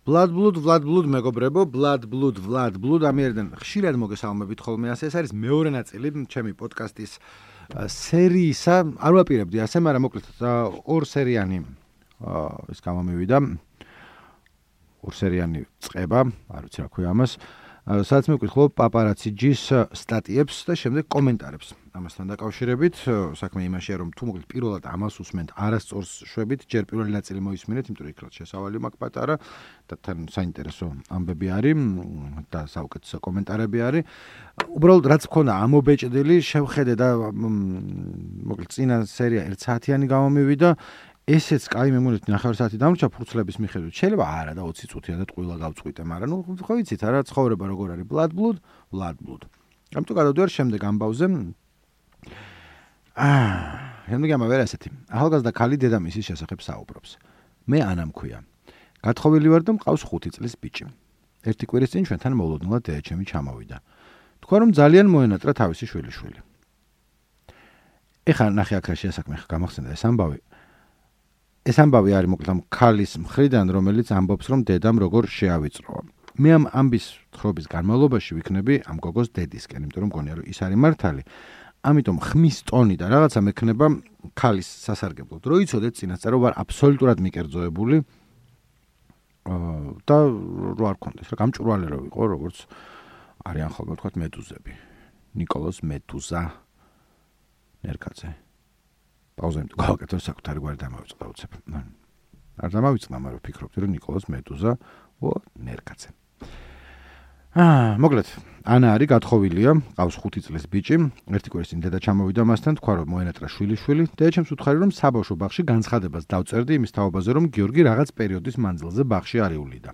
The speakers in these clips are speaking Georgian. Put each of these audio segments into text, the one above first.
Blood Blood მეგობრებო, Blood Blood ამიერიდან ხშირად მოგესალმებით ხოლმე ასე ეს არის მეორე ნაწილი ჩემი პოდკასტის სერიისა. არ ვაპირებდი ასე, მაგრამ მოკლედ ორ სერიანი ეს გამომივიდა. ორ სერიანი წება, არ ვიცი რა ქვია ამას. სადაც მივკითხულობ პაპარაციჯის სტატიებს და შემდეგ კომენტარებს. ამასთან დაკავშირებით საქმე იმაშია, რომ თუ მოკლედ პირველად ამას უსმენთ არასწორს შვებით, ჯერ პირველი ნაწილი მოისმინეთ, იმიტომ რომ იქ რაც შესავალი მაქვს პატარა და თან საინტერესო ამბები არის და საუკეთესო კომენტარები არის. უბრალოდ რაც მქონდა ამობეჭდილი, შევხედე და მოკლედ წინა სერია 1 საათიანი გამომივიდა. ესეც კაი მემონეთ 9 საათი დამრჩა ფურცლების მიხედვით. შეიძლება არა და 20 წუთია და ტყუილა გავწყვიტე, მაგრამ ნუ ხო იცით რა ცხოვრება როგორ არის Blood Blood. ამიტომ გადავდივარ შემდეგ ამბავზე. შემდეგ ამბავი ასეთი. ახალგაზრდა ქალი დედამისის შესახებ საუბრობს. მე ანა მქვია. გათხოვილი ვარ და მყავს 5 წლის ბიჭი. ერთი კვირის წინ ჩვენთან მოულოდნელად დედაჩემი ჩამოვიდა. თქვა რომ ძალიან მოენატრა თავისი შვილიშვილი. ეხლა ნახე აქ რა შეასაქმე გამახსენდა ეს ამბავი. ეს ამბავი არის მოკლედ ამ ქალის მხრიდან, რომელიც ამბობს, რომ დედამ როგორ შეავიწროა. მე ამ ამბის თხრობის განმავლობაში ვიქნები ამ გოგოს დედისკენ, იმიტომ რომ მგონია, რომ ის არის მართალი. ამიტომ ხმის ტონი და რაღაცა მექნება ქალის სასარგებლოდ. რო იცოდეთ წინასწარ, რომ ვარ აბსოლუტურად მიკერძოებული და რო არ კონდეს, რა გამჭვირვალე რო ვიყო, როგორც არიან ხოლმე თქვათ მედუზები. ნიკოლოზ მედუზა ნერკაძე. პაუზა იმიტომ გავაკეთე საკუთარი გვარი დამავიწყდა უცებ. არ დამავიწყდა, მაგრამ ვფიქრობდი რომ ნიკოლოზ მედუზა ნერკაძე. მოკლედ, ანა არის გათხოვილია, ყავს 5 წლის ბიჭი, ერთი კვირის წინ დედა ჩამოვიდა მასთან, თქვა რომ მოენატრა შვილიშვილი, დედაჩემს უთხარი რომ საბავშვო ბაღში განცხადებას დავწერდი იმის თაობაზე, რომ გიორგი რაღაც პერიოდის მანძილზე ბაღში არივლიდა.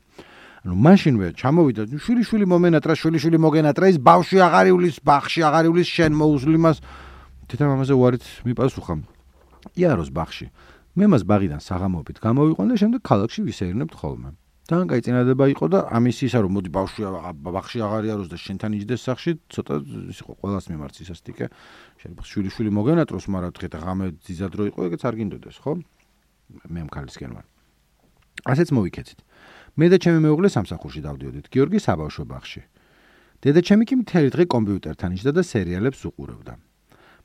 ანუ მაშინვე ჩამოვიდა შვილიშვილი მომენატრა, შვილიშვილი მოგენატრა, ის ბავშვი აღარ ივლის, ბაღში აღარ ივლის, შენ მოუსლიმას. თითამამაზე უარით მიპასუხა. იაროს ბაღში. მე მას ბაღიდან საღამოობით გამოვიყვან და შემდეგ ქალაქში ვისეირნებთ ხოლმე. თან კაი წინადადება იყო და ამის ისა რომ მოდი ბაღში აღარ იაროს და შენთან იჯდეს სახში, ცოტა ის იყო ყველას მიმართ ისასტიკე. შეიძლება შვილიშვილი მოგენატროს, მაგრამ დღე და ღამე ძიზად რო იყო, ეგეც არ გინდოდეს, ხო? მე მქალისკენ ვარ. ასეც მოვიქეცით. მე და ჩემი მეუღლე სამსახურში დავდიოდით გიორგი საბავშვო ბაღში. დედაჩემი კი მთელი დღე კომპიუტერთან იჯდა და სერიალებს უყურებდა.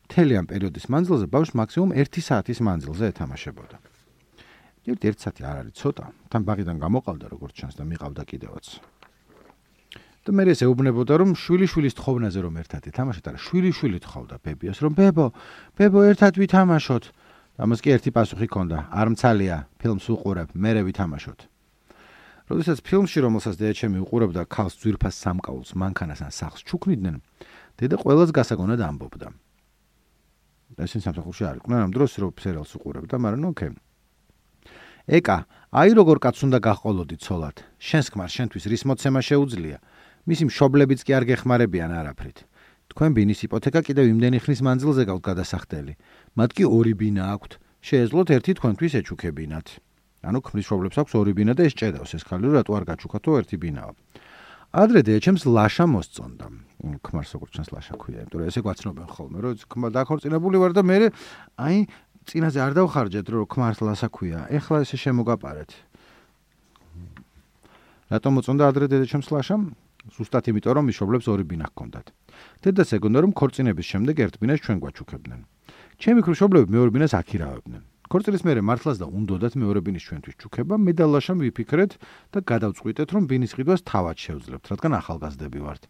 მთელი ამ პერიოდის მანძილზე ბავშვს მაქსიმუმ 1 საათის მანძილზე ეთამაშებოდა. 1 საათი არ არის ცოტა, თან ბაღიდან გამოყავდა როგორც ჩანს და მიყავდა კიდევაც. და მე ეს ეუბნებოდა რომ შვილიშვილის თხოვნაზე რომ ერთად ეთამაშოთ, არა შვილიშვილი თხოვდა ბებიას რომ ბებო ერთად ვითამაშოთ. ამას კი ერთი პასუხი ჰქონდა, არ მცალია, ფილმს უყურებ, მერე ვითამაშოთ. როდესაც ფილმში რომელსაც დედაჩემი უყურებდა ქალს ძვირფას სამკაულს მანქანას ან სახლს ჩუქნიდნენ, დედა ყველას გასაგონად ამბობდა. ესენ სამსახურში არ იყვნენ ამ დროს რო სერიალს უყურებდა, მაგრამ ოკეი. ეკა, აი როგორ კაც უნდა გაყოლოდი ცოლად. შენს ქმარ შენთვის რის მოცემა შეუძლია. მისი მშობლებიც კი არ გეხმარებიან არაფრით. თქვენ ბინის იპოთეკა კიდევ იმდენი ხნის მანძილზე გაქვთ გადასახდელი. მათ კი 2 ბინა აქვთ. შეეძლოთ ერთი თქვენთვის ეჩუქებინათ. ანუ ქმრის მშობლებს აქვს 2 ბინა და ეს ჭედავს ეს ხალი რატო არ გაჩუქათო ერთი ბინაა. ადრე დედაჩემს ლაშა მოსწონდა. ქმარს როგორც ჩანს ლაშა ქვია, იმიტომ რომ ესე გვაცნობენ ხოლმე, რომ ქმარ დაქორწინებული ვარ და მე აი წინაზე არ დავხარჯეთ რომ ქმარს ლაშა ქვია. ეხლა ესე შემოგაპარეთ. რატომ მოწონდა ადრე დედაჩემს ლაშა? ზუსტად იმიტომ რომ მშობლებს 2 ბინა ჰქონდათ. დედას ეგონდა რომ ქორწინების შემდეგ ერთ ბინას ჩვენ გვაჩუქებდნენ. ჩემი მშობლები მეორე ბინას აქირავებდნენ. ქორწილის მერე მართლაც და უნდოდათ მეორე ბინის ჩვენთვის ჩუქება, მე და ლაშამ ვიფიქრეთ და გადავწყვიტეთ რომ ბინის ყიდვას თავად შევძლებთ, რადგან ახალგაზრდები ვართ.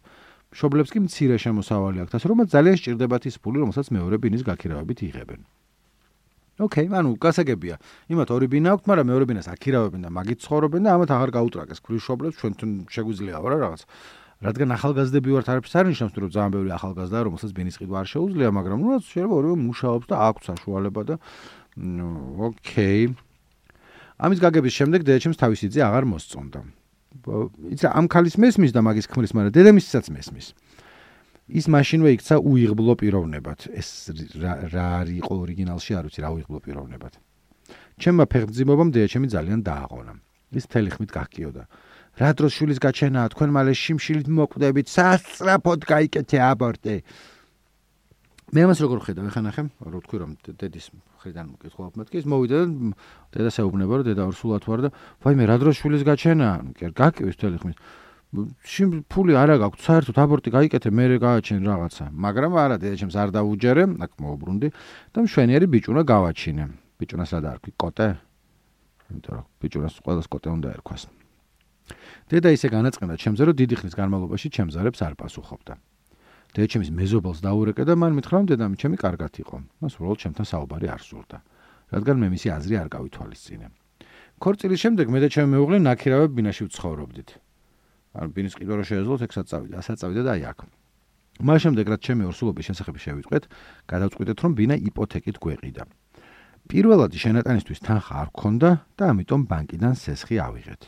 მშობლებს კი მცირე შემოსავალი აქვთ, ასე რომ ძალიან სჭირდებათ ის ფული, რომელსაც მეორე ბინის გაქირავებით იღებენ. ოკეი, ანუ გასაგებია. იმათ 2 ბინა აქვთ, მაგრამ მეორე ბინას აქირავებენ და მაგით ცხოვრობენ და ამათ აღარ გაუტრაკეს ქმრის მშობლებს, ჩვენთან შეგვიძლია რა რაღაც. რადგან ახალგაზრდები ვართ, არაფერს არ ნიშნავს, რომ ძალიან ბევრი ახალგაზრდა რომელსაც ბინის ყიდვა არ შეუძლია, მაგრამ ნუ შეიძლება ორივე მუშაობს და აქვს საშუალება და ოკეი. ამის გაგების შემდეგ დედაჩემს თავისი ძე აღარ მოსწონდა. იცი ამ ქალის მესმის და მაგის ქმრის, მაგრამ დედამისსაც მესმის. ის მაშინვე იქცა უიღბლო პიროვნებად. ეს რა იყო ორიგინალში, არ ვიცი რა უიღბლო პიროვნებად. ჩემმა ფეხმძიმობამ დედაჩემი ძალიან დააღონა. ის მთელი ხმით გაგკიოდა. რა დროს შვილის გაჩენაა, თქვენ მალე შიმშილით მოკვდებით, სასწრაფოდ გაიკეთე აბორტი. მე ამას როგორ ხედავ, ეხლა ნახე, რო თქვი რომ დედის მხრიდან მკითხულობ მეთქი, ის მოვიდა და დედას ეუბნება რომ დედა ორსულად ვარ და ვაიმე რა დროს შვილის გაჩენა, გაკივის თელი ხმის. ფული არა გაქვს, საერთოდ აბორტი გაიკეთე, მე გააჩენ რაღაცა. მაგრამ არა, დედაჩემს არ დაუჯერე, აქ მოუბრუნდი და მშვენიერი ბიჭუნა გავაჩინე. ბიჭუნას რა დაარქვი, კოტე? იმიტომ რომ ბიჭუნას ყველას კოტე უნდა ერქვას. დედა ისე განაწყენდა ჩემზე, რომ დიდი ხნის განმავლობაში ჩემს ზარებს არ პასუხობდა. დედაჩემის მეზობელს დაურეკე და მან მითხრა, რომ დედამი ჩემი კარგად იყო. მას უბრალოდ ჩემთან საუბარი არ სურდა, რადგან მე მისი აზრი არ გავითვალისწინე. ქორწილის შემდეგ მე და ჩემი მეუღლე ნაქირავებ ბინაში ვცხოვრობდით. ან ბინის ყიდვა რო შეეძლოთ, ეგ ასაც წავიდა და აი აქ. მას შემდეგ რაც ჩემი ორსულობის შესახებ შევიტყვეთ, გადავწყვიტეთ, რომ ბინა იპოთეკით გვეყიდა. პირველადი შენატანისთვის თანხა არ გქონდა და ამიტომ ბანკიდან სესხი ავიღეთ.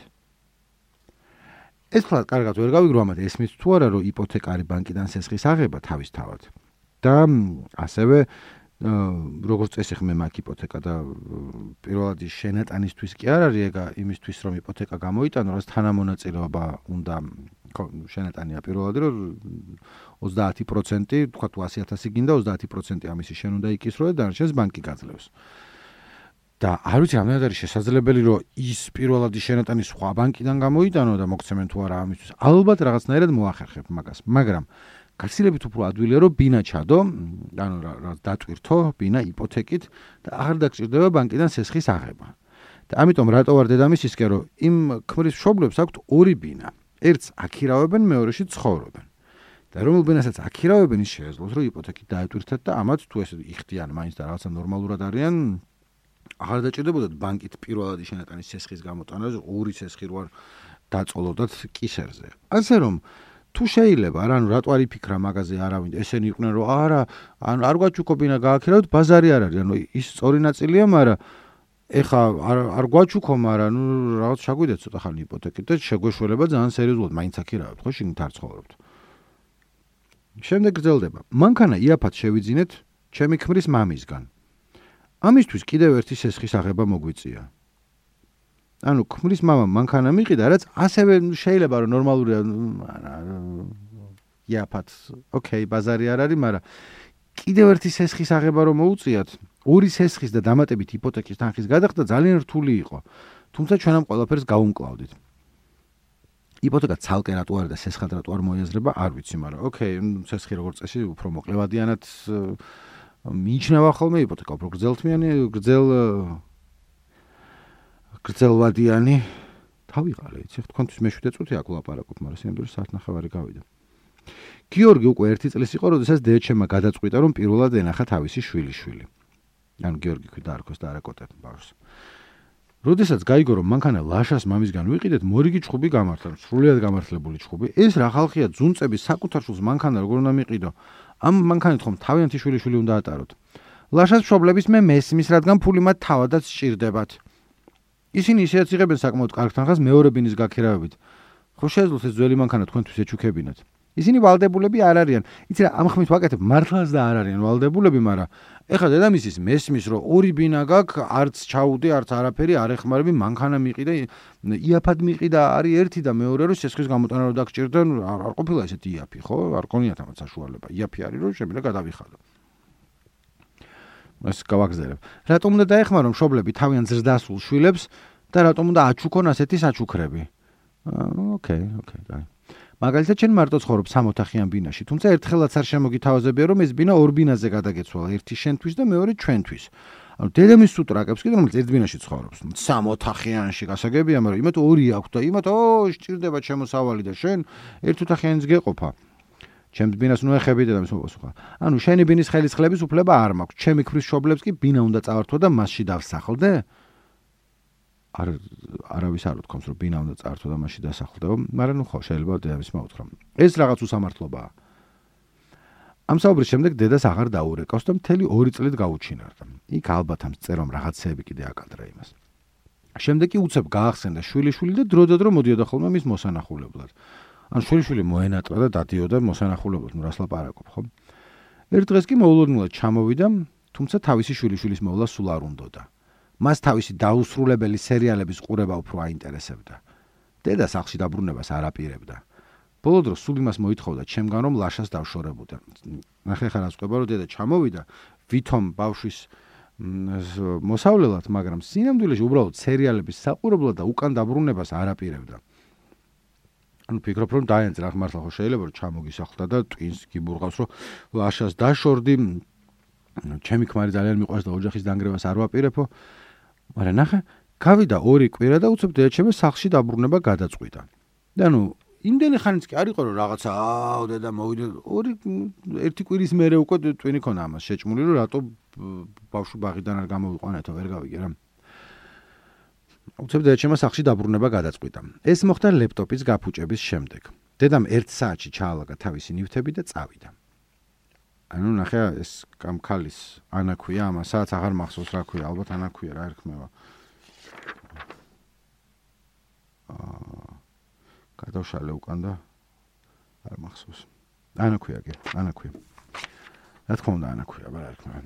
ეს ხლა კარგად ვერ გავიგრო ამათ ესმის თუ არა რომ იპოთეკარი ბანკიდან სესხის აღება თავისთავად და ასევე როგორც წესი ხმე მაგ იპოთეკა და პირველადი შენატანისთვის კი არ არის ეგა იმისთვის რომ იპოთეკა გამოიტანო რაც თანამონაწილეობა უნდა შენატანია პირველადი რომ 30% თქვა თუ 100,000 გინდა 30% ამისი შენ უნდა იკისრო და დანარჩენს ბანკი გაძლევს. და არ ვიცი რამდენად არის შესაძლებელი რომ ის პირველადი შენატანი სხვა ბანკიდან გამოიტანო და მოგცემენ თუ არა ამისთვის. ალბათ რაღაცნაირად მოახერხებ მაგას, მაგრამ გაცილებით უფრო ადვილია რომ ბინა ჩადო, ანუ რა დატვირთო ბინა იპოთეკით და აღარ დაგჭირდება ბანკიდან სესხის აღება. და ამიტომ რატო ვარ დედამისისკენ რომ იმ ქმრის მშობლებს აქვთ ორი ბინა. ერთს აქირავებენ, მეორეში ცხოვრობენ. და რომელ ბინასაც აქირავებენ ის შეეძლოს რომ იპოთეკით დაეტვირთეთ და ამათ თუ ესე იხდიან მაინც და რაღაცა ნორმალურად არიან აღარ დაჭირდებოდათ ბანკით პირველადი შენატანის სესხის გამოტანას, ორი სესხი რო არ დაწოლოდათ კისერზე. ასე რომ თუ შეიძლება რა, ანუ რატო არ იფიქრა მაგაზე არავინ, ესენი იყვნენ რომ არა, ანუ არ გვაჩუქობინა გააქირავთ, ბაზარი არ არის, ანუ ის სწორი ნაწილია, მაგრამ ეხა არ გვაჩუქო, მაგრამ ნუ რაღაც ჩაგვიდეთ ცოტა ხანი იპოთეკით და შეგვეშველება ძალიან სერიოზულად, მაინც აქირავთ, ხო, შიგნით არ ცხოვრობთ. შემდეგ გრძელდება. მანქანა იაფად შევიძინეთ ჩემი ქმრის მამისგან. ამისთვის კიდევ ერთი სესხის აღება მოგვიწია. ანუ ქმრის მამამ მანქანა მიყიდა, რაც ასევე შეიძლება რომ ნორმალურია, იაფად, ოკეი, ბაზარი არ არის, მაგრამ კიდევ ერთი სესხის აღება რომ მოუწიათ, ორი სესხის და დამატებით იპოთეკის თანხის გადახდა ძალიან რთული იყო. თუმცა ჩვენ ამ ყველაფერს გავუმკლავდით. იპოთეკა ცალკე რატო არის და სესხად რატო არ მოიაზრება, არ ვიცი, მაგრამ ოკეი, სესხი როგორც წესი უფრო მოკლევადიანად მიიჩნევა ხოლმე იპოთეკა უფრო გრძელვადიანი თავიღალე, იცი, თქვენთვის მე-7 წუთი აქ ვლაპარაკობ, მაგრამ სინამდვილეში საათნახევარი გავიდა. გიორგი უკვე 1 წლის იყო, როდესაც დედაჩემმა გადაწყვიტა, რომ პირველად ენახა თავისი შვილიშვილი. ანუ გიორგი ქვი დაარქვეს და არა კოტე ბავშვს. როდესაც გაიგო, რომ მანქანა ლაშას მამისგან ვიყიდეთ, მორიგი ჩხუბი გამართლა, სრულიად გამართლებული ჩხუბი. ეს რა ხალხია, ძუნწების საკუთარ შვილს მანქანა როგორ უნდა მიყიდო? ამ მანქანით ხომ თავიანთი შვილიშვილი უნდა ატაროთ. ლაშას მშობლების მე მესმის, რადგან ფული მათ თავადაც სჭირდებათ. ისინი ისედაც იღებენ საკმაოდ კარგ თანხას მეორე ბინის გაქირავებით. ხო შეეძლოთ ეს ძველი მანქანა თქვენთვის ეჩუქებინათ. ისინი ვალდებულები არ არიან. იცი რა, ამ ხმით ვაკეთებ, მართლაც და არ არიან ვალდებულები, მაგრამ ეხლა დედამისის მესმის, რომ ორი ბინა გაქვს, არც ჩაუდი, არც არაფერი არ ეხმარები, მანქანა მიყიდა, იაფად მიყიდა, არის ერთი და მეორე რომ სესხის გამოტანა რო დაგჭირდა, არ ყოფილა ესეთი იაფი, ხო? არ გქონიათ ამათ საშუალება. იაფი არის, რომ შემიძლია გადავიხადო. ეს გავაგზავნებ. რატომ უნდა დაეხმარონ მშობლები თავიანთ ზრდასრულ შვილებს და რატომ უნდა აჩუქონ ასეთი საჩუქრები? ოკეი, კაი. მაგალითად, ჩვენ მარტო ცხოვრობ 3 ოთახიან ბინაში, თუმცა ერთხელაც არ შემოგითავაზებია, რომ ეს ბინა ორ ბინაზე გადაგეცვალა, ერთი შენთვის და მეორე ჩვენთვის. ანუ დედამის სუტრაკებს კიდე რომელიც ერთ ბინაში ცხოვრობს. 3 ოთახიანში გასაგებია, მაგრამ იმათ ორი აქვს და იმათ სჭირდება შემოსავალი და შენ ერთ ოთახიანიც გეყოფა. ჩემს ბინას ნუ ეხები დედამის მოპასუხა. ანუ შენი ბინის ხელისხლების უფლება არ მაქვს. ჩემი ქმრის მშობლებს კი ბინა უნდა წავართვა და მასში დავსახლდე? არავის არ უთქვამს, რომ ბინა უნდა წავართვა და მასში დასახლდეო, მაგრამ ნუ ხო, შეიძლება დედამის მოუთხრა. ეს რაღაც უსამართლობაა. ამ საუბრის შემდეგ დედას აღარ დაურეკავს და მთელი 2 წლით გაუჩინარდა. იქ ალბათ ამ წერომ რაღაცეები კიდე აკადრა იმას. შემდეგ კი უცებ გაახსენდა შვილიშვილი და დროდადრო მოდიოდა ხოლმე მის მოსანახულებლად. ან შვილიშვილი მოენატრა და დადიოდა მოსანახულებლად, ნუ რას ლაპარაკობ, ხო? ერთ დღეს კი მოულოდნელად ჩამოვიდა, თუმცა თავისი შვილიშვილის მოვლა სულ არ უნდოდა. მას თავისი დაუსრულებელი სერიალების ყურება უფრო აინტერესებდა. დედა სახლში დაბრუნებას არ აპირებდა. ბოლო დროს სულ იმას მოითხოვდა ჩემგან რომ ლაშას დავშორებოდა. ნახე ხარ ასყვება რომ დედა ჩამოვიდა ვითომ ბავშვის მოსავლელად, მაგრამ სინამდვილეში უბრალოდ სერიალების საყურებლად და უკან დაბრუნებას არ აპირებდა. ანუ ფიქრობ რომ დაენწრა მართლა ხო შეიძლება რომ ჩამოგისახლდა და ტვინს გიბურღავს რომ ლაშას დაშორდი, ჩემი ქმარი ძალიან მიყვარს და ოჯახის დანგრევას არ ვაპირებო. მაგრამ ნახე, გავიდა 2 კვირა და უცებ დედაჩემი სახლში დაბრუნება გადაწყვიტა. და ანუ იმდენი ხანიც კი არ იყო რომ რაღაცა დედა მოვიდა 1 კვირის მერე უკვე ტვინი ქონა ამას შეჭმული რომ რატო ბავშვი ბაღიდან არ გამოვიყვანეთო ვერ გავიგე რა. უცებ დედაჩემმა სახლში დაბრუნება გადაწყვიტა. ეს მოხდა ლეპტოპის გაფუჭების შემდეგ. დედამ 1 საათში ჩაალაგა თავისი ნივთები და წავიდა. ანუ ნახე ეს კამქალის ანა ქვია ამასაც აღარ მახსოვს რა ქვია, ალბათ ანა ქვია რა ერქმევა. გადავშალე უკან და არ მახსოვს. ანა ქვია კი, ანა ქვია. რა თქმა უნდა ანა ქვია, რა ერქმევა.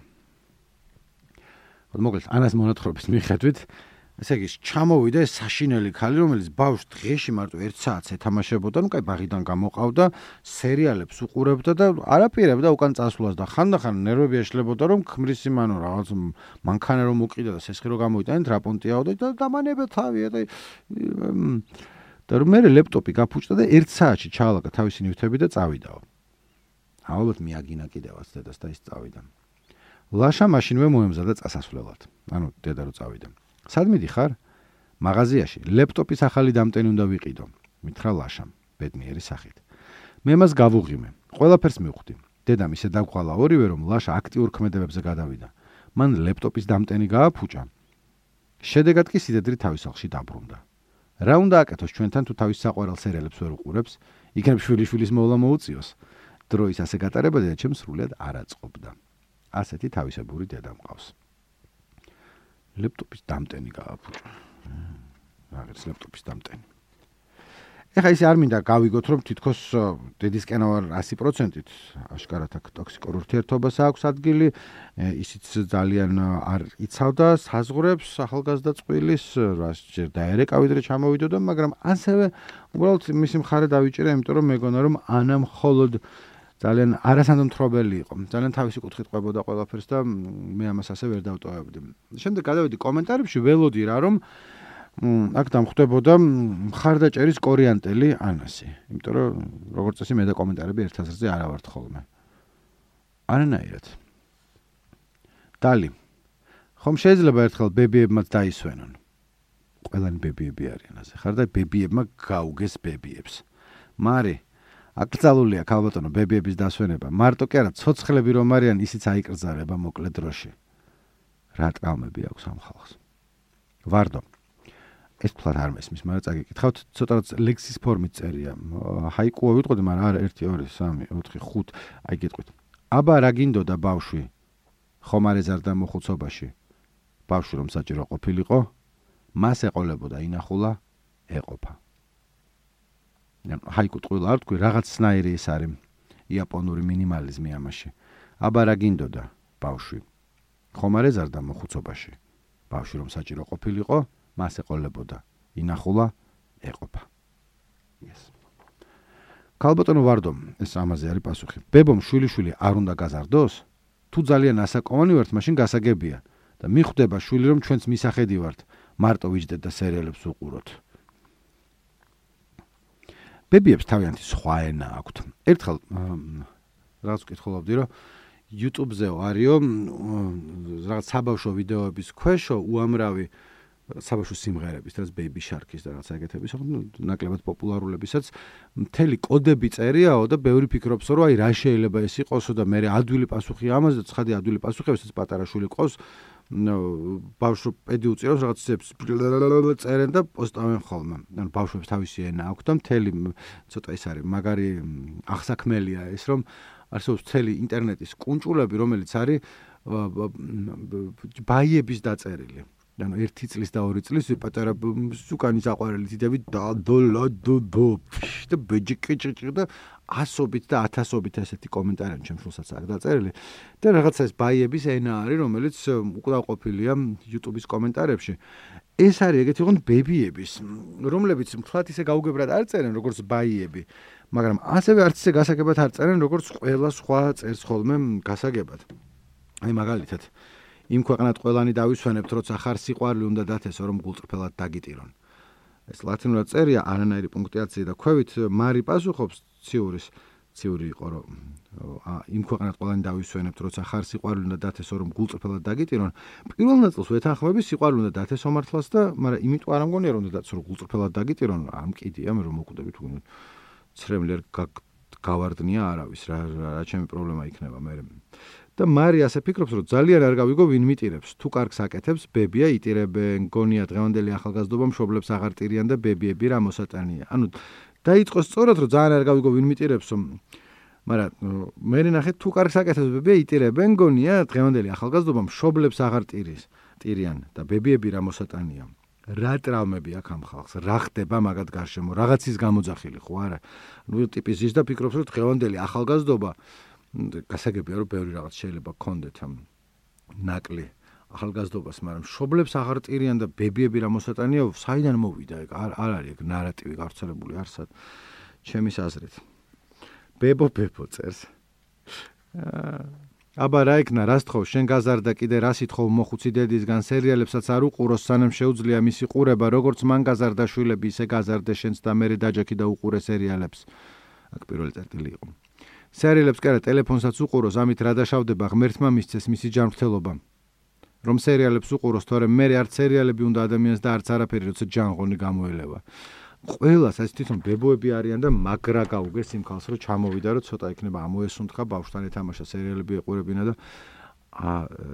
მოკლედ ანას მონათხრობის მიხედვით ესე იგი ჩამოვიდა ეს საშინელი ქალი, რომელიც ბავშვს დღეში მარტო 1 საათს ეთამაშებოდა, ну, კაი ბაღიდან გამოყავდა, სერიალებს უყურებდა და არაპირებდა უკან წასვლას და ხანდახან ნერვები ეშლებოდა, რომ ქმრის იმანო რაღაც მანქანა რომ უყიდა და სესხი რომ გამოიტანეთ, რა პონტიაო და დამანებდა თავია და რომ მე ლეპტოპი გაფუჭდა და 1 საათში ჩაალაგა თავისი ნივთები და წავიდაო. ალბათ მიაგინა კიდევაც დედას და ის წავიდა. ლაშა მაშინვე მოემზადა წასასვლელად. ანუ დედა რო წავიდა. სად მიდიხარ? მაღაზიაში ლეპტოპის ახალი დამტენი უნდა ვიყიდო. მითხრა ლაშამ, ბედნიერი სახით. მე მას გავუღიმე. ყველაფერს მივხვდი. დედამ ისე დაგყვალა ორივე რომ ლაშა აქტიურ ქმედებებზე გადავიდა. მან ლეპტოპის დამტენი გააფუჭა. შედეგად კი სიდედრი თავის სახლში დაბრუნდა. რა უნდა აკეთოს ჩვენთან თუ თავის საყვარელ სერიალებს ვერ უყურებს? იქნებ შვილიშვილის მოვლა მოუწიოს. დროის ასე გატარება დედაჩემს სრულად არ აწყობდა. ასეთი თავისებური დედა მყავს. ლეპტოპის დამტენი გააფუჭა. რაღაც ლეპტოპის დამტენი. ეხა ისე არ მინდა გავიგოთ რომ თითქოს დედისკენ ვარ 100%-ით აშკარად აქ ტოქსიკურ ურთიერთობას აქვს ადგილი, ისიც ძალიან არ იცავდა საზღვრებს ახალგაზრდა წყვილის, რას ჯერ დაერეკა ვიდრე ჩამოვიდოდა, მაგრამ ასევე უბრალოდ მისი მხარე დავიჭერე, იმიტომ რომ მეგონა რომ ანა მხოლოდ ძალიან არასანდომთხრობელი იყო. ძალიან თავისი კუთხით ყვებოდა ყველაფერს და მე ამას ასე ვერ დავტოვებდი. შემდეგ გადავედი კომენტარებში, ველოდი რა რომ აქ დამხვდებოდა მხარდაჭერის კორიანტელი ანასი. იმიტომ რომ როგორც წესი მე და კომენტარები ერთ აზრზე არ ავართ ხოლმე. არანაირად. დალი. ხომ შეიძლება ერთხელ ბებიებმაც დაისვენონ. ყველანი ბებიები არიან ასე. ხარ და ბებიებმა გაუგეს ბებიებს. მარი აკრძალულია ქალბატონო ბებიების დასვენება. მარტო კი არა, ცოცხლები რომ არიან, ისიც აიკრძალება მოკლე დროში. რა ტრავმები აქვს ამ ხალხს. ვარდო. ეს თქვა არ მესმის, მაგრამ წაგიკითხავთ, ცოტაც ლექსის ფორმით წერია. ჰაიკუა ვიტყოდი, მაგრამ არა 1 2 3 4 5 აი გეტყვით. აბა რა გინდოდა ბავშვი? ხომ არ ეზარდა მოხუცობაში? ბავშვი რომ საჭირო ყოფილიყო, მას ეყოლებოდა ინახულა, ეყოფა. ჰაიკუ ტყუილ არ თქვი, რაღაცნაირი ეს არის იაპონური მინიმალიზმი ამაში. აბა რა გინდოდა ბავშვი? ხომ არ ეზარდა მოხუცობაში? ბავშვი რომ საჭირო ყოფილიყო, მას ეყოლებოდა ინახულა, ეყოფა. ქალბატონო ვარდო, ეს ამაზე არის პასუხი. ბებომ შვილიშვილი არ უნდა გაზარდოს? თუ ძალიან ასაკოვანი ვართ, მაშინ გასაგებია და მიხვდება შვილი რომ ჩვენც მისახედი ვართ, მარტო ვიჯდეთ და სერიალებს უყუროთ. ბებიებს თავიანთი სხვა ენა აქვთ. ერთხელ რაღაც ვკითხულობდი, რომ YouTube-ზე არისო რაღაც საბავშვო ვიდეოების ქვეშო უამრავი საბავშვო სიმღერების, რაც Baby Shark-ის და რაღაც ეგეთების, ნაკლებად პოპულარულებისაც მთელი კოდები წერიაო და ბევრი ფიქრობს, რომ აი რა შეიძლება ეს იყოსო და მე ადვილი პასუხი ამაზე და ცხადი ადვილი პასუხი, ესაც პატარა შვილი ყავს, ბავშვო პედი უწირავს რაღაცებს წერენ და პოსტავენ ხოლმე. ანუ ბავშვებს თავისი ენა აქვს და მთელი ცოტა ის არის, მაგარი აღსაქმელია ეს, რომ არსებობს მთელი ინტერნეტის კუნჭულები, რომელიც არის ბაიების დაწერილი. ანუ 1 წლის და 2 წლის პატარა სუკანის აყვარელი დიდები და ბეჯიკი და 100-ობით და 1000-ობით ესეთი კომენტარი ჩემს შულსაც აქვს დაწერილი და რაღაცა ეს ბაიების ენა არის, რომელიც უკდავყოფილია YouTube-ის კომენტარებში. ეს არის ეგეთი ოღონდ ბებიების, რომლებიც მთლად ისე გაუგებრად არ წერენ როგორც ბაიები, მაგრამ ასევე არც ისე გასაგებად არ წერენ როგორც ყველა სხვა წერს ხოლმე გასაგებად. აი მაგალითად, იმ ქვეყნად ყველანი დავისვენებთ, როცა ხარ სიყვარული უნდა დათესო, რომ გულწრფელად დაგიტირონ. ეს ლათინურად წერია, არანაირი პუნქტუაცია და ქვევით მარი პასუხობს ციური იყო, რომ იმ ქვეყნად ყველანი დავისვენებთ, როცა ხარ სიყვარული უნდა დათესო, რომ გულწრფელად დაგიტირონ. პირველ ნაწილს ვეთანხმები სიყვარული უნდა დათესო მართლაც და, მაგრამ იმიტომ არ ამგონია, რომ უნდა დათესო, რომ გულწრფელად დაგიტირონ, ამ კიდია, მე რომ მოკვდებით უკვე ცრემლერ გავარდნია არავის, რა ჩემი პრობლემა იქნება მე. და მარი ასე ფიქრობს, რომ ძალიან არ გავიგო ვინ მიტირებს. თუ კარგს აკეთებს, ბებია იტირებენ, გონია დღევანდელი ახალგაზრდობა მშობლებს აღარ ტირიან და ბებიები რა მოსატანია. ანუ დაიწყო სწორად, რომ ძალიან არ გავიგო ვინ მიტირებს, მაგრამ მე ნახეთ თუ კარგს აკეთებს, ბებია იტირებენ, გონია დღევანდელი ახალგაზრდობა მშობლებს აღარ ტირიან და ბებიები რა მოსატანია. რა ტრაუმები აქვს ამ ხალხს, რა ხდება მაგათ გარშემო, რაღაცის გამოძახილი ხო არა? ნუ ტიპი ზის და ფიქრობს, რომ დღევანდელი ახალგაზრდობა გასაგებია, რომ ბევრი რაღაც შეიძლება გქონდეთ ამ ნაკლი ახალგაზრდობას, მაგრამ მშობლებს აღარ ტირიან და ბებიები რა მოსატანია, საიდან მოვიდა ეგ? არ არის ეგ ნარატივი გავრცელებული არსად ჩემის აზრით. ბებო წერს. აბა რა იქნა, რას თხოვ, შენ გაზარდა კიდე რას ითხოვ მოხუცი დედისგან, სერიალებსაც არ უყუროს, სანამ შეუძლია მისი ყურება, როგორც მან გაზარდა შვილები, ისე გაზარდე შენც და მერე დაჯექი და უყურე სერიალებს. აქ პირველი წერტილი იყო. სერიალებს კი არა, ტელეფონსაც უყუროს, ამით რა დაშავდება, ღმერთმა მისცეს მისი ჯანმრთელობა. რომ სერიალებს უყუროს, თორემ მერე არც სერიალები უნდა ადამიანს და არც არაფერი, როცა ჯანღონი გამოელევა. ყველას ეს თვითონ ბებოები არიან და მაგრა გაუგეს იმ ხალხს, რომ ჩამოვიდა, რომ ცოტა იქნება ამოესუნთქა ბავშვთან ეთამაშა სერიალები ეყურებინა და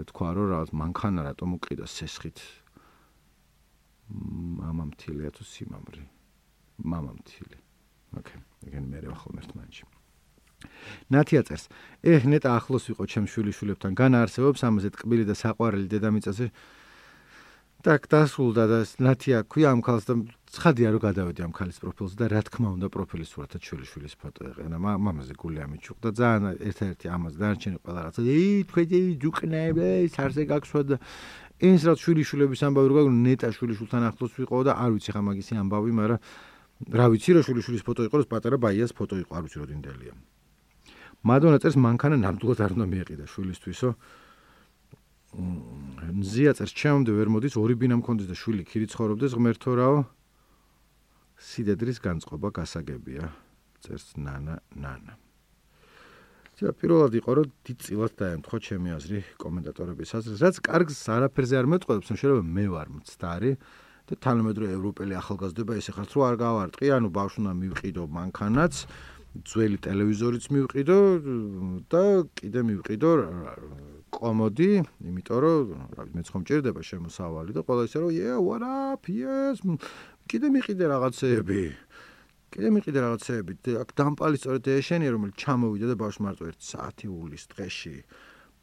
თქვა, რომ რაღაც მანქანა რატომ უყიდა სესხით. მამამთილია თუ სიმამრი? მამამთილი. ოკეი, ეგენ მე ახალ ერთმანეთში. ნათია წერს, ნეტა ახლოს ვიყო ჩემს შვილიშვილებთან, განაარსებობს ამაზე ტკბილი და საყვარელი დედამიწაზე. Так, დასრულდა და ნათია ქვია ამ ხალხს და ცხადია რომ გადავედი ამ ხალის პროფილზე და რა თქმა უნდა პროფილის სურათად შვილიშვილის ფოტო ეყენა. მამაზე გული ამიჩუქდა ძალიან ერთ-ერთი ამას დარჩენი ყველა რაღაცა. თქვენი ჯუკნები, სარზე გაქვსვა და ეს რა შვილიშვილების ამბავი რო გაგონო, ნეტა შვილიშვილთან ახლოს ვიყო და არ ვიცი ხა მაგისი ამბავი, მაგრამ რა ვიცი რომ შვილიშვილის ფოტო იყო, პატარა ბაიას ფოტო იყო, არ ვიცი რო დინდელია. მადონა წერს მანქანა ნამდვილად არ უნდა მიეყიდა შვილისთვისო. ზია წერს ჩემამდე ვერ მოდის, ორი ბინა მქონდეს და შვილი ქირი ცხოვრობდეს, ღმერთო რაო. სიდედრის განწყობა გასაგებია, წერს ნანა. პირველად იყო რომ დიდწილად დაემთხვა ჩემი აზრი კომენტატორების აზრს, რაც კარგს არაფერზე არ მეტყველებს, შეიძლება მე ვარ მცდარი და თანამედროვე ევროპელი ახალგაზრდობა ესე ხართ რომ არ გავარტყი, ანუ ბავშვნა მივყიდო მანქანაც, ძველი ტელევიზორიც მივყიდო და კიდე მივყიდო კომოდი, იმიტომ რომ მეც ხომ ჭირდება შემოსავალი და ყველა ისე რომ what up, yes, კიდე მიყიდე რაღაცეები. აქ დამპალი სწორედ ეშენია, რომელიც ჩამოვიდა და ბავშვს მარტო 1 საათი უვლის დღეში.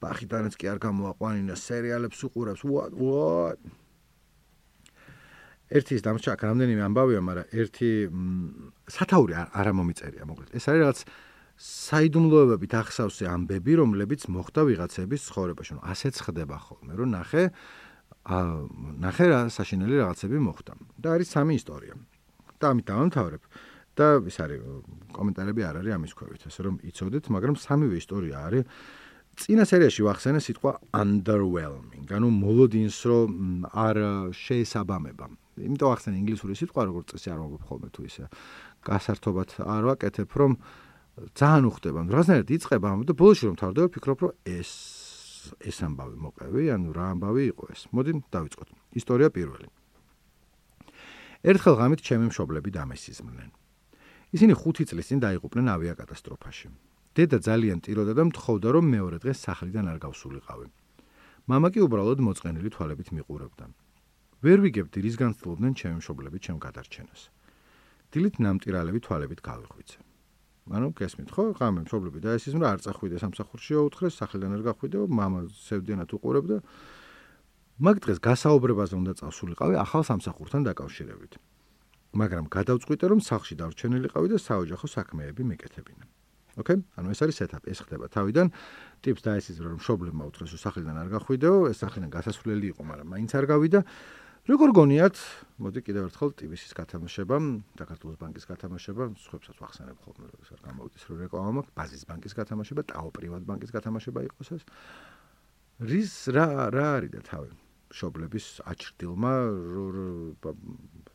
ბახიდანაც კი არ გამოაყვანინა, სერიალებს უყურებს. What? ერთის დამჭა აქ რამდენიმე ამბავია, მაგრამ ერთი სათაური არ მომიწერია, მოკლედ. ეს არის რაღაც საიდუმლოებებით ახსავსე ამბები, რომლებიც მოხდა ვიღაცების ცხოვრებაში. ასეც ხდება ხოლმე, რომ ნახე რა საშინელი რაღაცები მოხდა. და არის 3 ისტორია. და ამით დავამთავრებ. და ის არის კომენტარები არ არის ამის ქვევით, ასე რომ იცოდეთ, მაგრამ 3-ვე ისტორია არის. წინა სერიაში ვახსენე სიტყვა underwhelming, ანუ მოლოდინს რომ არ შეესაბამება. იმიტომ ახსენე ინგლისური სიტყვა, როგორც წესი არ მოგებ ხოლმე თუ ისე გასართობად არ ვაკეთებ, რომ ძალიან უხდება. რაღაცნაირად იწყება და ბოლოში რომ თავდება, ფიქრობ, რომ ეს ამბავი მოყევი, ანუ რა ამბავი იყო ეს. მოდი დავიწყოთ. ისტორია პირველი. ერთხელ ღამით ჩემი მშობლები დამესიზმნენ. ისინი 5 წლის წინ დაიღუპნენ ავიაკატასტროფაში. დედა ძალიან ტიროდა და მთხოვდა, რომ მეორე დღეს სახლიდან არ გავსულიყავი. მამა კი უბრალოდ მოწყენილი თვალებით მიყურებდა. ვერ ვიგებდი, რის განცდილობდნენ ჩემი მშობლები ჩემ გადარჩენას. დილით ნამტირალები თვალებით გავიხვიცე. ანუ გესმით ხო, ღამე მშობლები დაესიზმრა, არ წახვიდე სამსახურში აუთხრეს, სახლიდან არ გახვიდე, მამა სევდიანად უყურებდა. მაგ დღეს გასაუბრებაზე უნდა წავსულიყავი ახალ სამსახურთან დაკავშირებით. მაგრამ გადავწყვიტე რომ სახლში დავრჩენილიყავი და საოჯახო საქმეები მეკეთებინა. ოკეი? ანუ ეს არის setup, ეს ხდება თავიდან. ტიპს დაესიზრა რომ მშობლებმა უთხრეს რომ სახლიდან არ გახვიდეო, ეს სახლიდან გასასვლელი იყო, მაგრამ მაინც არ გავიდა. როგორ გონიათ, მოდი კიდევ ერთხელ ტიბისის გათამაშება, საქართველოს ბანკის გათამაშება, სხვებსაც ვახსენებ ხოლმე, ეს არ გამოვიდეს რომ რეკლამა მაქვს, ბაზის ბანკის გათამაშება, ტაო პრივატ ბანკის გათამაშება იყოს ეს. რა არის და თავი მშობლების აჩრდილმა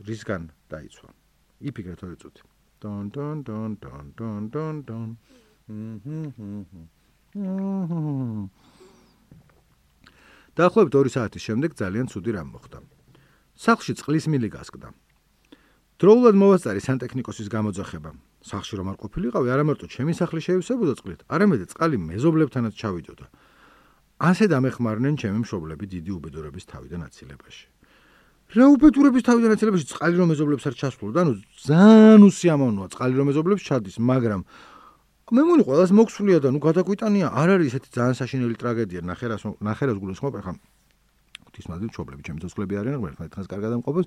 რისგან დაიცვა. იფიქრეთ ორი წუთი. დონ დონ დონ დონ დონ დონ დონ. დაახლოებით 2 საათის შემდეგ ძალიან ცუდი რამ მოხდა. სახლში წყლის მილი გასკდა. დროულად მოვასწარი სანტექნიკოსის გამოძახება. სახლში რომ არ ყოფილიყავი, არა მარტო ჩემი სახლი შეივსებოდა წყლით, არამედ წყალი მეზობლებთანაც ჩავიდოდა. ასე დამეხმარნენ ჩემი მშობლები დიდი უბედურების თავიდან აცილებაში. რა უბედურების თავიდან აცილებაში წყალი რომ მეზობლებს არ ჩასვლოდა, ანუ ძალიან უსიამოვნოა წყალი რომ მეზობლებს ჩადის, მაგრამ მე მგონი ყველას მოქსულია და გადაგვიტანია, არ არის ესეთი ძალიან საშინელი ტრაგედია, ნახერას გულისხმობ, ახლა ღვთისმადლი მშობლები, ჩემი ცოცხლები არიან, ერთმანეთს დღეს კარგად ამყოფოს.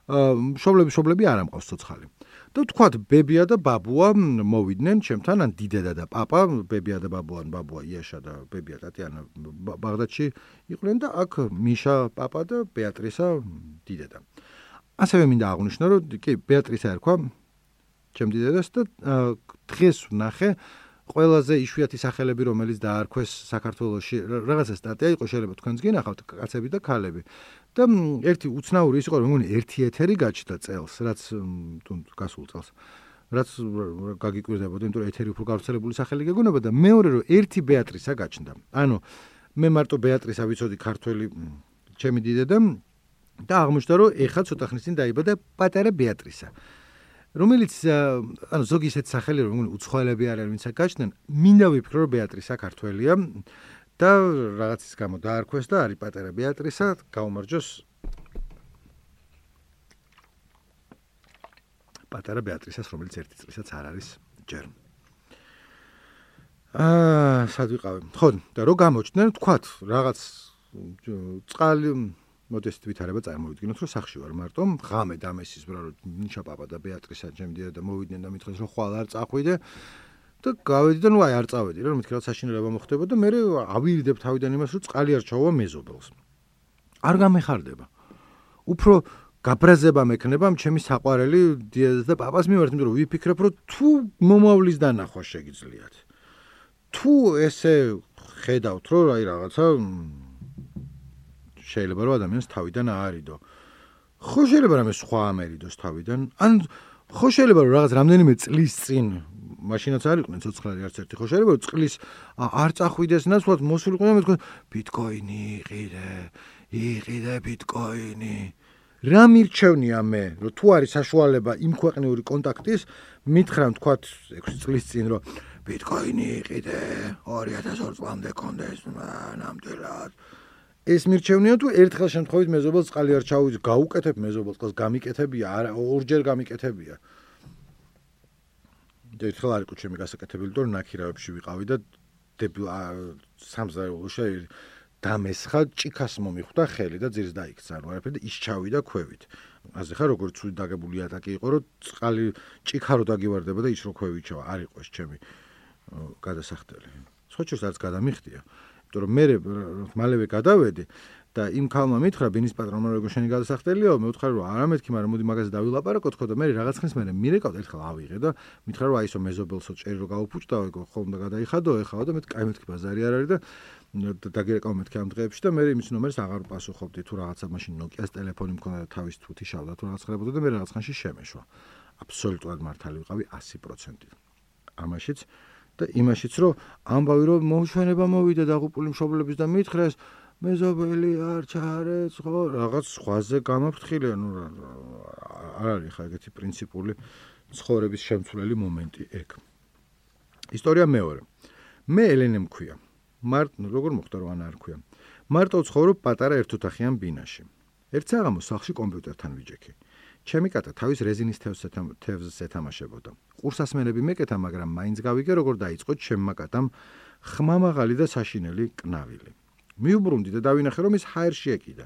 მშობლები არ ამყავს ცოცხალი. და თქვათ ბებია და ბაბუა მოვიდნენ ჩემთან, ან დიდედა და პაპა, ბებია და ბაბუა, ბაბუა იაშა და ბებია ტატიანა ბაღდადში იყვნენ და აქ მიშა პაპა და ბეატრისა დიდედა. ასევე მინდა აღვნიშნო, რომ კი ბეატრისა ერქვა ჩემ დიდედას და დღეს ვნახე ყველაზე იშვიათი სახელები, რომელიც დაარქვეს საქართველოში, რაღაცა სტატია იყო, შეიძლება თქვენც გინახავთ, კაცები და ქალები. და ერთი უცნაური ის იყო, რომ მგონი ერთი ეთერი გაჩნდა წელს, რაც გასულ წელს, რაც გაგიკვირდებოდა, იმიტომ რომ ეთერი უფრო გავრცელებული სახელი გეგონება და მეორე რომ ერთი ბეატრისა გაჩნდა. ანუ მე მარტო ბეატრისა ვიცოდი ქართველი ჩემი დიდედა და აღმოჩნდა, რომ ეხლა ცოტა ხნის წინ დაიბადა პატარა ბეატრისა. რომელიც ანუ ზოგი ისეთ სახელი რომ მგონი უცხოელები არიან, ვინც გაჩნდნენ, მინდა ვიფიქრო რომ ბეატრისა ქართველია და რაღაცის გამო დაარქვეს და არის პატარა ბეატრისა, გაუმარჯოს პატარა ბეატრისას, რომელიც ერთი წლისაც არ არის ჯერ. სად ვიყავი? ხო, და რო გამოჩნდნენ, თქვათ, რაღაც წყალი მოდესტ ვითარება წარმოვიდგინოთ, რომ სახში ვარ მარტო, ღამე დამესიზრა, რომ ნიშა პაპა და ბეატრისა ჩემდია და მოვიდნენ და მითხრეს, რომ ხვალ არ წახვიდე და გავედი და ნუ აი არ წავედი, რომ მითხრა საშინელება მოხდება და მე ავირდებ თავიდან იმას, რომ წყალი არ ჩაუვა მეზობელს. არ გამეხარდება. უფრო გაბრაზება მექნება ჩემი საყვარელი დიედას და პაპას მიმართ, იმიტომ რომ ვიფიქრებ, რომ თუ მომავლის დანახვა შეგიძლიათ. თუ ესე ხედავთ, რომ აი რაღაცა შეიძლება რომ ადამიანს თავიდან აარიდო. ხო შეიძლება რამე სხვა ამერიდოს თავიდან, ან ხო შეიძლება რომ რაღაც რამდენიმე წლის წინ მაშინაც არ იყვნენ ცოცხლები არც ერთი, ხო შეიძლება რომ წლის არ წახვიდეს ნაცვლად მოსულიყო და მეთქვა ბიტკოინი იყიდე ბიტკოინი. რა მირჩევნია მე, რომ თუ არის საშუალება იმ ქვეყნიური კონტაქტის, მითხრა თქვათ 6 წლის წინ რომ ბიტკოინი იყიდე 2002 წლამდე კონდეს ნამდვილად. ეს მირჩევნია თუ ერთხელ შემთხვევით მეზობელს წყალი არ ჩაუვიძ, გაუკეთებ მეზობელს წყალს, გამიკეთებია, ორჯერ გამიკეთებია. ერთხელ არ იყო ჩემი გასაკეთებელი, რომ ნაქირავებში ვიყავი და სამზარეულოში დამესხა, ჭიქას მომიხვდა ხელი და ძირს დაიქცა, ანუ არაფერი და ის ჩავიდა ქვევით. ასე ხარ როგორც ცუდი დაგებული ატაკი იყო, რომ წყალი ჭიქა რო დაგივარდება და ის რო ქვევით ჩავა, არ იყო ეს ჩემი გადასახდელი. სხვაჩურს არც გადამიხდია. რომ მე მალევე გადავედი და იმ ქალმა მითხრა ბინის პატრონმა როგორ შენი გადასახდელიაო, მე ვთხარი რომ არა მეთქი, მაგრამ მოდი მაგაზე დავილაპარაკოთ ხო და მე რაღაც ხნის მერე მირეკავთ ერთხელ ავიღე და მითხრა რომ აი ისო მეზობელსო ჭერი რო გავუფუჭდაო, ეგ ხომ და გადაიხადო ეხლა და მე კაი მეთქი ბაზარი არ არის და დაგირეკავ მეთქი ამ დღეებში და მე იმის ნომერს აღარ პასუხობდი, თუ რაღაცა მაშინ Nokia-ს ტელეფონი მქონდა და თავის თუთი შავდა, თუ რაღაც ხდებოდა და მე რაღაც ხანში შემეშვა. აბსოლუტურად მართალი ვიყავი 100%. ამაშიც და იმაშიც რომ ამბავი რომ მოუშვენება მოვიდა დაღუპული მშობლების და მითხრეს მეზობელი არ ჩაარეც ხო რაღაც სხვაზე გამაფრთხილე, ნუ არ არის ხა ეგეთი პრინციპული ცხოვრების შემცვლელი მომენტი ეგ. ისტორია მეორე. მე ელენე მქვია. როგორ მოხდა რომ ანა არ ქვია. მარტო ვცხოვრობ პატარა ერთოთახიან ბინაში. ერთ საღამოს სახლში კომპიუტერთან ვიჯექი. ჩემი კატა თავის რეზინის თევზს ეთამაშებოდა. ყურსასმენები მეკეთა, მაგრამ მაინც გავიგე როგორ დაიწყო ჩემმა კატამ ხმამაღალი და საშინელი კნავილი. მიუბრუნდი და დავინახე რომ ის ჰაერში ეკიდა.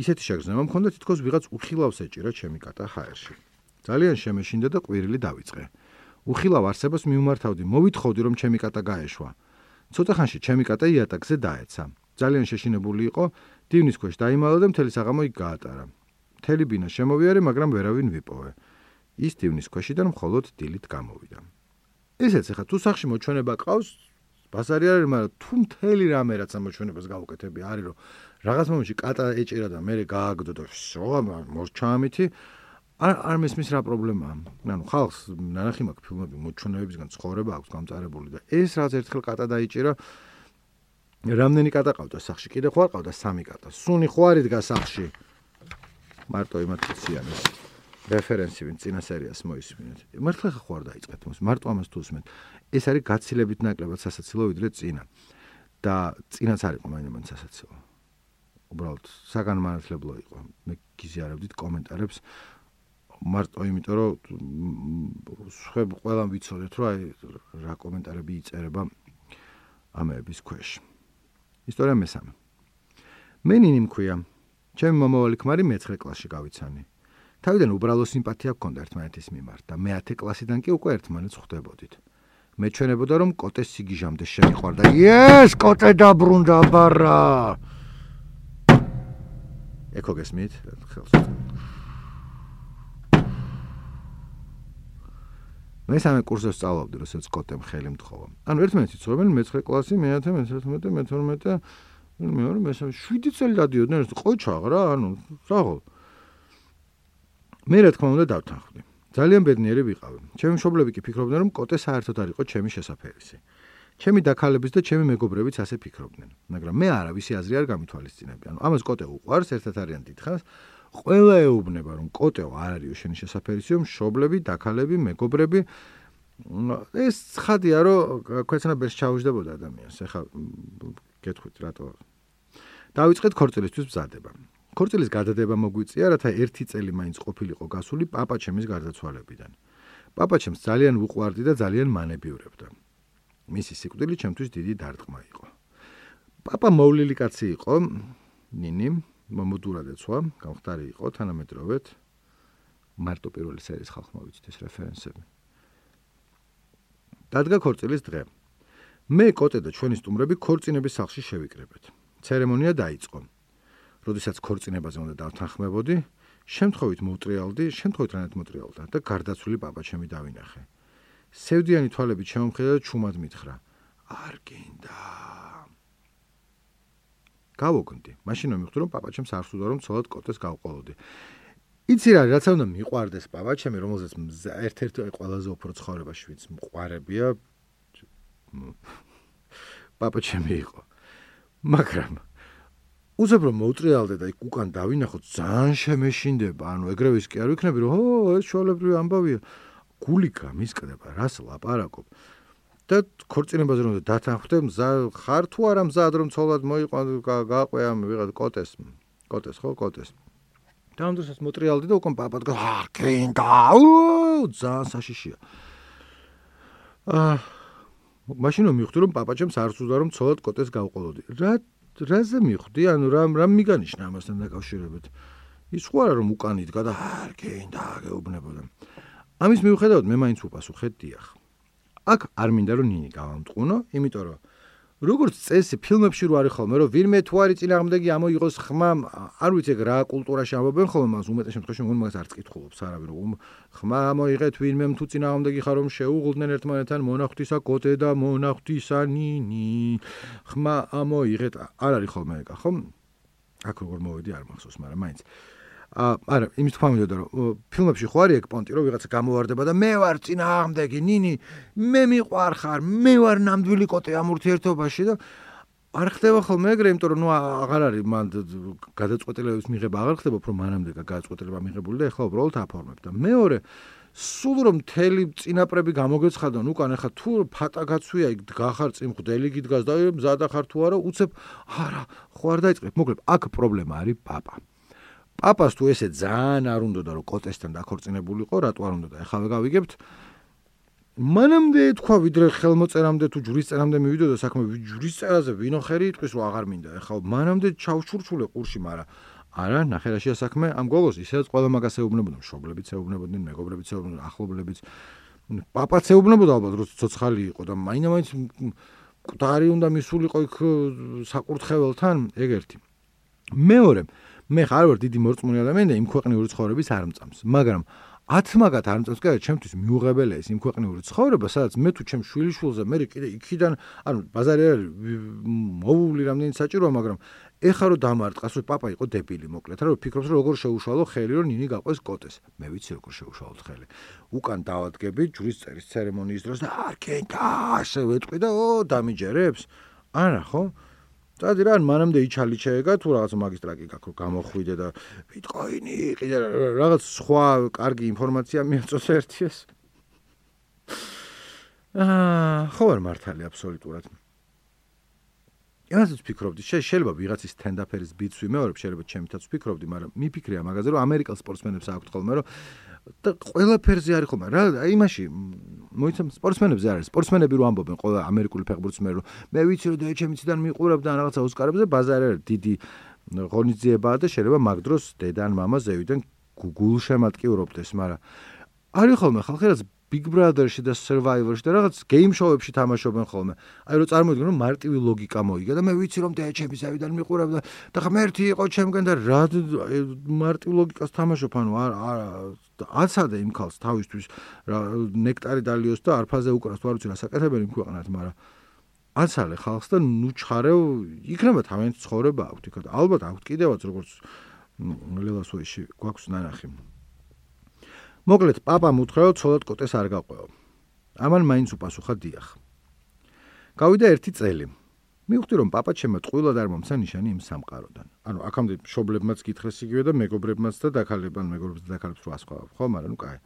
ისეთი შეგრძნება მქონდა თითქოს ვიღაც უხილავს ეჭირა ჩემი კატა ჰაერში. ძალიან შემეშინდა და ყვირილი დავიწყე. უხილავ არსებას მიმართავდი, მოვითხოვდი რომ ჩემი კატა გაეშვა. ცოტა ხანში ჩემი კატა იატაკზე დაეცა. ძალიან შეშინებული იყო, დივნის ქვეშ დაიმალა და მთელი საღამო იქ გაატარა. მთელი ბინა შემოვიარე, მაგრამ ვერავინ ვიპოვე. ის დივნის ქვეშიდან მხოლოდ დილით გამოვიდა. ესეც ახლა თუ სახში მოჩვენება ყავს, ბაზარი არის, მაგრამ თუ მთელი რამე რაც ამოჩვენებას გავუკეთები, არის რომ რაღაც მომენტში კატა ეჭირა და მე გააგდო და მორჩა ამითი, არ მესმის რა პრობლემაა. ანუ ხალხს ნანახი მაქვს ფილმები მოჩვენებებისგან ცხოვრება აქვს გამწარებული და ეს რაც ერთხელ კატა დაიჭირა, რამდენი კატა ყავდა სახში? კიდე ხო არ ყავდა 3 კატა. სუნი ხო არ იდგა სახში? მარტო იმათი ციანეს რეფერენსი ვინ წინა სერიას მოისმინეთ. მართლა ხო არ დაიწყეთ მას? მარტო ამას თუ უსმენთ. ეს არის გაცილებით ნაკლებად სასაცილო ვიდრე წინა. და წინაც არ იყო მაინც სასაცილო. უბრალოდ საგანმანათლებლო იყო. მე გიზიარებდით კომენტარებს მარტო იმიტომ რომ სხვები ყველამ ვიცოდეთ რომ აი რა კომენტარები იწერება ამების ქვეშ. ისტორია მესამე. მე ნინი მქვია. ჩემი მომავალი ქმარი მე-9 კლასში გავიცანი. თავიდან უბრალო სიმპათია გქონდა ერთმანეთის მიმართ და მე-10 კლასიდან კი უკვე ერთმანეთს ხვდებოდით. მეჩვენებოდა რომ კოტეს სიგიჟამდე შემიყვარდა. ეს კოტე დაბრუნდა ბარა. ეკო გესმით? ხელს. მე 3 კურსზე სწავლობდი, როდესაც კოტემ ხელი მთხოვა. ანუ ერთმანეთი ცნობენ მე-9 კლასი, მე-10, მე-11, მე-12, მე-2, მე-3, 7 წელი დადიოდნენ, ყოჩაღ რა, ანუ საღოლ. მე რა თქმა უნდა დავთანხმდი. ძალიან ბედნიერი ვიყავი. ჩემი მშობლები კი ფიქრობდნენ, რომ კოტე საერთოდ არ იყო ჩემი შესაფერისი. ჩემი დაქალებიც და ჩემი მეგობრებიც ასე ფიქრობდნენ, მაგრამ მე არავისი აზრი არ გამithვალისწინებდი. ანუ ამას კოტე უყვარს, ერთად არიან დიდხანს. ყველა ეუბნება რომ კოტეო არ არისო შენი შესაფერისიო, მშობლები, დაქალები, მეგობრები. ეს ცხადია რომ ქვეცნაბერს ჩაუждდებოდა ადამიანს. ეხლა გეტყვით რატო. დავიწყეთ ქორწილისთვის მზადება. ქორწილის გადადება მოგვიწია, რათა 1 წელი მაინც ყოფილიყო გასული პაპა ჩემის გარდაცვალებიდან. პაპა ჩემს ძალიან ვუყვარდი და ძალიან მანებიურებდა. მისი სიკვდილი ჩემთვის დიდი დარტყმა იყო. პაპა მოვლილი კაცი იყო, ნინი, მომდურად ეცვა, გამხდარი იყო თანამედროვედ. მარტო პირველი სერიის ხალხმა ვიცით ეს რეფერენსები. დადგა ქორწილის დღე. მე, კოტე და ჩვენი სტუმრები ქორწინების სახლში შევიკრებეთ. ცერემონია დაიწყო. როდესაც ქორწინებაზე უნდა დავთანხმებოდი, შემთხვევით რანეთ მოტრიალდა და გარდაცვლილი პაპა ჩემი დავინახე. სევდიანი თვალებით შემომხედა და ჩუმად მითხრა: არ გინდა. გავოგნდი. მაშინ მომიხდი რომ პაპა ჩემს არ სურდა რომ ცოლად კოტეს გავყოლოდი. იცი რა, რაც უნდა მიყვარდეს პაპა ჩემი, რომელზეც ერთ-ერთი ყველაზე უფრო ცხოვრებაში ვინც მყარებია პაპა ჩემი იყო. მაგრამ უცებ რომ მოუტრიალდე და იქ უკან დავინახოთ, ძალიან შემეშინდება. ანუ ეგრევის კი არ ვიქნები რომ ეს შოლებრივი ამბავია. გული გამისკდება, რას ლაპარაკობ. და ქორწინებაზე რომ დათანხმდე, ხარ თუ არა მზად რომ ცოლად მოიყვან გააყვე ამ ვიღაც კოტეს ხო კოტეს. და ამ დროსაც მოტრიალდი და უკან პაპად გინდა. ძალიან საშიშია. მაშინ მივხვდი რომ პაპა ჩემს არ სურდა რომ ცოლად კოტეს გავყოლოდი. რაზე მივხვდი? ანუ რა მიგანიშნა ამასთან დაკავშირებით? ის ხო არა რომ უკან იდგა და არ გინდა გეუბნებოდა. ამის მიუხედავად მე მაინც უპასუხეთ დიახ. აქ არ მინდა რომ ნინი გავამტყუნო, იმიტომ რომ როგორც წესი ფილმებში რო არის ხოლმე რომ ვინმე თუ არის წინააღმდეგი ამოიღოს ხმა, არ ვიცი რა კულტურაში ამბობენ ხოლმე, მას უმეტეს შემთხვევაში მგონი მაგას არც კითხულობს არავინ, ხმა ამოიღეთ ვინმე თუ წინააღმდეგი ხარ რომ შეუღლდნენ ერთმანეთთან მონახტისა კოტე და მონახტისა ნინი. ხმა ამოიღეთ, არ არის ხოლმე ეგა, ხო? აქ როგორ მოვედი არ მახსოვს, მაგრამ მაინც არა, იმის თქვა მინდოდა რომ ფილმებში ხო არის ეგ პონტი რომ ვიღაცა გამოვარდება და მე ვარ წინააღმდეგი, ნინი, მე მიყვარხარ, მე ვარ ნამდვილი კოტე ამ ურთიერთობაში და არ ხდება ხოლმე ეგრე, იმიტომ რომ აღარ არის მან გადაწყვეტილების მიღება აღარ ხდება, უფრო მანამდე გადაწყვეტილება მიღებული და ეხლა უბრალოდ აფორმებ და მეორე სულ რომ მთელი წინაპრები გამოგეცხადონ უკან, ეხლა თუ ფატა გაცვია იქ დგახარ წიმხვდელი გიდგას და მზადა ხარ თუ არა, უცებ არა, ხო არ დაიწყებ. მოკლედ, აქ პრობლემა არის პაპა. პაპას თუ ესე ძალიან არ უნდოდა რომ კოტესთან დაქორწინებულიყო, რატო არ უნდოდა? ეხლა გავიგებთ. მანამდე თქვა ვიდრე ხელმოწერამდე თუ ჯვრისწერამდე მივიდოდა საქმე, ჯვრისწერაზე ვინო ხერი იტყვის რომ აღარ მინდა. ეხლა მანამდე ჩავშურჩულე ყურში, მაგრამ არა, ნახე რაშია საქმე, ამ გოგოს ისედაც ყველა მაგას ეუბნებოდა, მშობლებიც ეუბნებოდნენ, მეგობრებიც ეუბნებოდნენ, ახლობლებიც. პაპაც ეუბნებოდა ალბათ, რომ ცოცხალი იყო და მაინც მკვდარი უნდა მისულიყო იქ საკურთხეველთან, ეგ ერთი. მეორე, მე ხარ ვარ დიდი მორწმუნე ადამიანი და იმ ქვეყნიური ცხოვრების არ მწამს, მაგრამ 10 მაგათ არ მწამს, კიდე ჩემთვის მიუღებელია ის იმ ქვეყნიური ცხოვრება, სადაც მე თუ ჩემ შვილიშვილზე მე კიდე იქიდან, ანუ ბაზარი არ მოული რამდენი საჭიროა, მაგრამ ეხლა რომ დამარტყას, რომ პაპა იყო დებილი, მოკლედ, რომ ფიქრობს, რომ როგორ შეუშალო ხელი, რომ ნინი გაყვეს კოტეს. მე ვიცი როგორ შეუშალოთ ხელი. უკან დავადგები ჯვრის წერის ცერემონიის დროს და არქენტა ასე ვეტყვი და დამიჯერებს. არა, ხო? წადი რა, მანამდე იჩალი შეეგა, თუ რაღაც მაგისტრატი გაქვს, რომ გამოხვიდე და ბიტკოინი, კიდე რაღაც სხვა კარგი ინფორმაცია მიაწოს ერთიეს. ხო არ მართალი აბსოლუტურად. იმასაც ვფიქრობდი, შეიძლება ვიღაცის სტენდაფერის ბიტს ვიმეორებ, შეიძლება ჩემითაც ვფიქრობდი, მაგრამ მიფიქრია მაგაზე, რომ ამერიკელ სპორტსმენებს აქვთ ხოლმე, რომ და ყველაფერზე არის ხოლმე. რა, იმაში მოიცემ სპორტსმენებზე არის. სპორტსმენები რო ამბობენ ყველა ამერიკული ფეხბურთსმენი, რომ მე ვიცი რომ ჩემიციდან მიყურებდა რაღაცა ოსკარებზე, ბაზარი არის დიდი ღონისძიებაა და შეიძლება მაგ დროს დედა ან მამა ზევიდან გულშემატკივრობდეს, მაგრამ არის ხოლმე ხალხი რაც Big Brother-ში და Survivor-ში და რაღაც game show-ებში თამაშობენ ხოლმე. აი რომ წარმოვიდგინე რომ მარტივი ლოგიკა მოიგა და მე ვიცი რომ ჩემი ზევიდან მიყურებდა და ღმერთი იყო ჩემგან და რა მარტივ ლოგიკას თამაშობ, ანუ აცადე იმ ქალს თავისთვის ნექტარი დალიოს და არფაზე უკრას, თუ არ ვიცი რა საკეთებელი იმ ქვეყნად, მაგრამ აცალე ხალხს და ნუ ჩხარეო, იქნება თავიანთი ცხოვრება აქვთ იქ და ალბათ აქვთ კიდევაც როგორც ლელასოიში გვაქვს ნანახი. მოკლედ, პაპამ უთხრა, რომ ცოლად კოტეს არ გაყვეო. ამან მაინც უპასუხა დიახ. გავიდა 1 წელი. მივხვდი, რომ პაპა ჩემო ტყუილად არ მომცა ნიშანი იმ სამყაროდან. ანუ აქამდე მშობლებმაც გითხრეს იგივე და მეგობრებმაც და დაქალებან მეგობრებს და დაქალებს რა სხვა, ხო, მაგრამ ნუ კაი.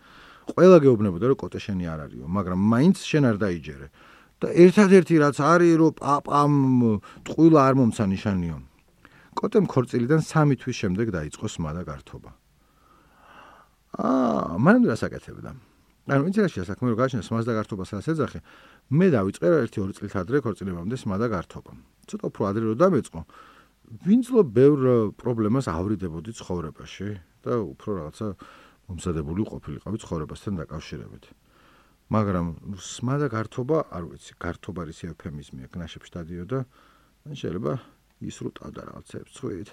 ყველა გეუბნებოდა, რომ კოტე შენი არ არისო, მაგრამ მაინც შენ არ დაიჯერე. და ერთადერთი რაც არის, რომ პაპამ ტყუილა არ მომცა ნიშანიო. კოტემ ქორწილიდან 3 თვის შემდეგ დაიწყო სმა და გართობა. მანამდე რა საკეთებდა? ანუ ვიცი რა საქმე რომ გაჩნდა სმას და გართობას რაც ეძახე, მე დავიწყე 1-2 წლით ადრე ქორწილებამდე სმა და გართობა. ცოტა უფრო ადრე რომ დამეწყო, ვინძლო ბევრ პრობლემას ავრიდებოდი ცხოვრებაში და უფრო რაღაცა მომზადებული ყოფილიყავი ცხოვრებასთან დაკავშირებით. მაგრამ სმა და გართობა, არ ვიცი, გართობა არის ეუფემიზმია, გნაშებში დადიოდა, შეიძლება ისრუტავდა რაღაცებს წვით.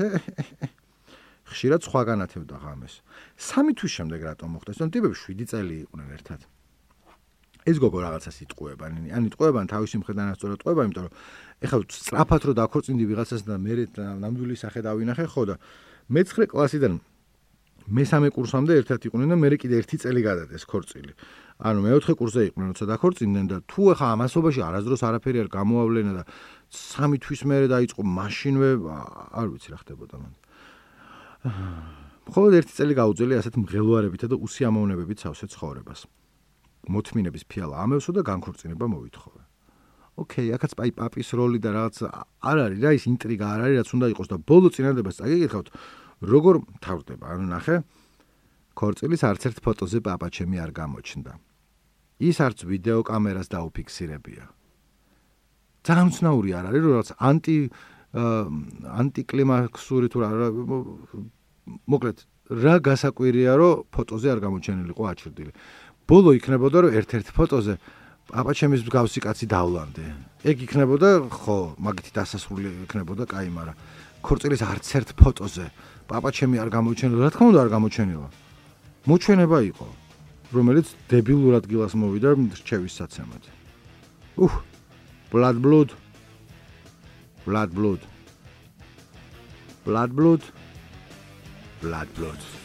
ხშირად სხვა განათებდა ღამეს. 3 თვის შემდეგ რატომ მოხდა? ეს ტიპები 7 წელი იყვნენ ერთად. ეს გოგო რაღაცას იტყუება, ან იტყუებან თავისი მხრიდან ასწორა ტყუება, იმიტომ რომ ეხლა სწრაფად რო დაქორწინდი ვიღაცას და მე ნამდვილი სახე დავინახე, ხო და მე-9 კლასიდან მე-3 კურსამდე ერთად იყვნენ და მე კიდე 1 წელი გადადეს ქორწილი. ანუ მე-4 კურსზე იყვნენ, როცა დაქორწინდნენ და თუ ეხლა ამასობაში არასდროს არაფერი არ გამოავლენა და 3 თვის მერე დაიწყო მაშინვე, არ ვიცი რა ხდებოდა მან. მხოლოდ 1 წელი გაუძლია ასეთ მღელვარებითა და უსიამოვნებებით სავსე ცხოვრებას. მოთმინების ფიალა ამევსო და განქორწინება მოვითხოვე. ოკეი, აქაც პაპის როლი და რაღაც არ არის რა ის ინტრიგა არ არის რაც უნდა იყოს და ბოლო წინადებას წაგიკითხავთ როგორ თავდება. ანუ ნახე, ქორწილის არც ერთ ფოტოზე პაპა ჩემი არ გამოჩნდა. ის არც ვიდეო კამერას დაუფიქსირებია. ძალიან უცნაური არ არის რომ რაღაც ანტიკლიმაქსური თუ რა მოკლედ რა გასაკვირია რომ ფოტოზე არ გამოჩენილიყო აჩრდილი. ბოლო იქნებოდა რომ ერთ-ერთ ფოტოზე პაპა ჩემის მსგავსი კაცი დავლანდე. ეგ იქნებოდა ხო, მაგითი დასასრული იქნებოდა, კაი, მაგრამ ქორწილის არც ერთ ფოტოზე პაპა ჩემი არ გამოჩენილა, რა თქმა უნდა არ გამოჩენილა. მოჩვენება იყო, რომელიც დებილურად გილას მოვიდა რჩევის საცემად. blood.